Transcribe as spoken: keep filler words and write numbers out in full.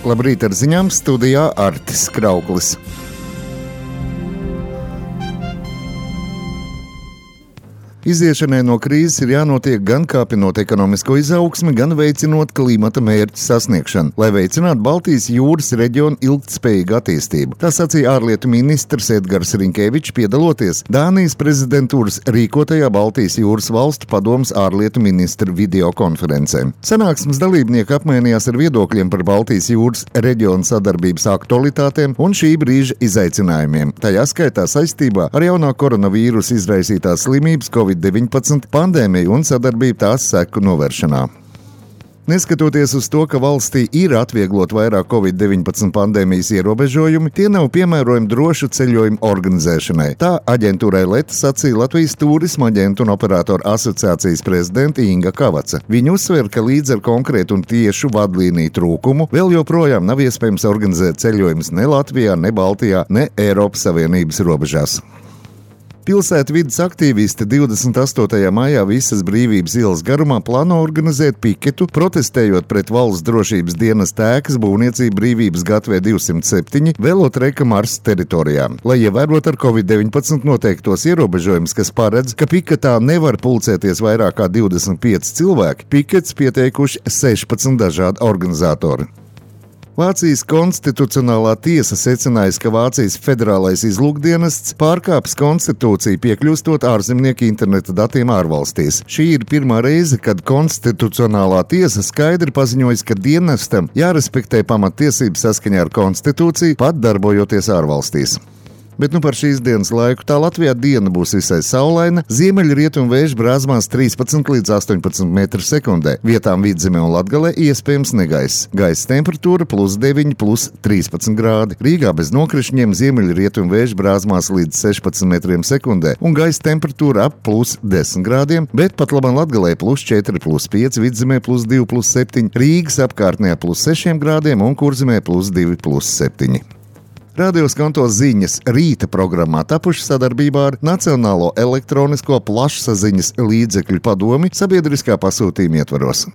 Labrīt, ar ziņām studijā Artis Krauklis. Iziešanai no krīzes ir jānotiek gan kāpinot ekonomisko izaugsmi, gan veicinot klimata mērķu sasniegšanu, lai veicinātu Baltijas jūras reģionu ilgtspējīgu attīstību. Tā sacīja ārlietu ministrs Edgars Rinkēvičs, piedaloties Dānijas prezidentūras rīkotajā Baltijas jūras valstu padomes ārlietu ministru videokonferencē. Sanāksmes dalībnieki apmainījās ar viedokļiem par Baltijas jūras reģionu sadarbības aktualitātēm un šī brīža izaicinājumiem, tajā skaitā saistībā ar jaunā koronavīrusa izraisītās slimības covid deviņpadsmit pandēmiju un sadarbību tās seku novēršanā. Neskatoties uz to, ka valstī ir atvieglot vairāk covid deviņpadsmit pandēmijas ierobežojumi, tie nav piemērojami drošu ceļojumu organizēšanai. Tā aģentūrai Leta sacīja Latvijas Tūrisma aģentu un operātoru asociācijas prezidente Inga Kavaca. Viņa uzsver, ka līdz ar konkrētu un tiešu vadlīniju trūkumu vēl joprojām nav iespējams organizēt ceļojumus ne Latvijā, ne Baltijā, ne Eiropas Savienības robežās. Pilsētvides aktīvisti divdesmit astotajā maijā visas Brīvības ielas garumā plāno organizēt piketu, protestējot pret valsts drošības dienesta ēkas būvniecību Brīvības gatavē divsimt septiņi velotreka Mars teritorijā. Lai ievērotu ar covid deviņpadsmit noteiktos ierobežojumus, kas paredz, ka piketā nevar pulcēties vairāk kā divdesmit pieci cilvēki, pikets pieteikuši sešpadsmit dažādi organizatori. Vācijas konstitucionālā tiesa secinājusi, ka Vācijas federālais izlūkdienests pārkāpis konstitūciju, piekļūstot ārzemnieku interneta datiem ārvalstīs. Šī ir pirmā reize, kad konstitucionālā tiesa skaidri paziņojusi, ka dienestam jārespektē pamattiesības saskaņā ar konstitūciju, pat darbojoties ārvalstīs. Bet nu par šīs dienas laiku tā Latvijā diena būs visai saulaina, ziemeļrietumu vējš brāzmās trīspadsmit līdz astoņpadsmit metru sekundē, vietām Vidzemē un Latgalē iespējams negaiss. Gaisa temperatūra plus deviņi, plus trīspadsmit grādi. Rīgā bez nokrišņiem ziemeļrietumu vējš brāzmās līdz sešpadsmit metriem sekundē un gaisa temperatūra ap plus desmit grādiem, bet pat labam Latgalē plus četri, plus pieci, Vidzemē plus divi, plus septiņi, Rīgas apkārtnē plus sešiem grādiem un Kurzemē plus divi, plus septiņi. Radio Skanto ziņas rīta programmā tapuši sadarbībā ar Nacionālo elektronisko plašsaziņas līdzekļu padomi sabiedriskā pasūtījuma ietvaros.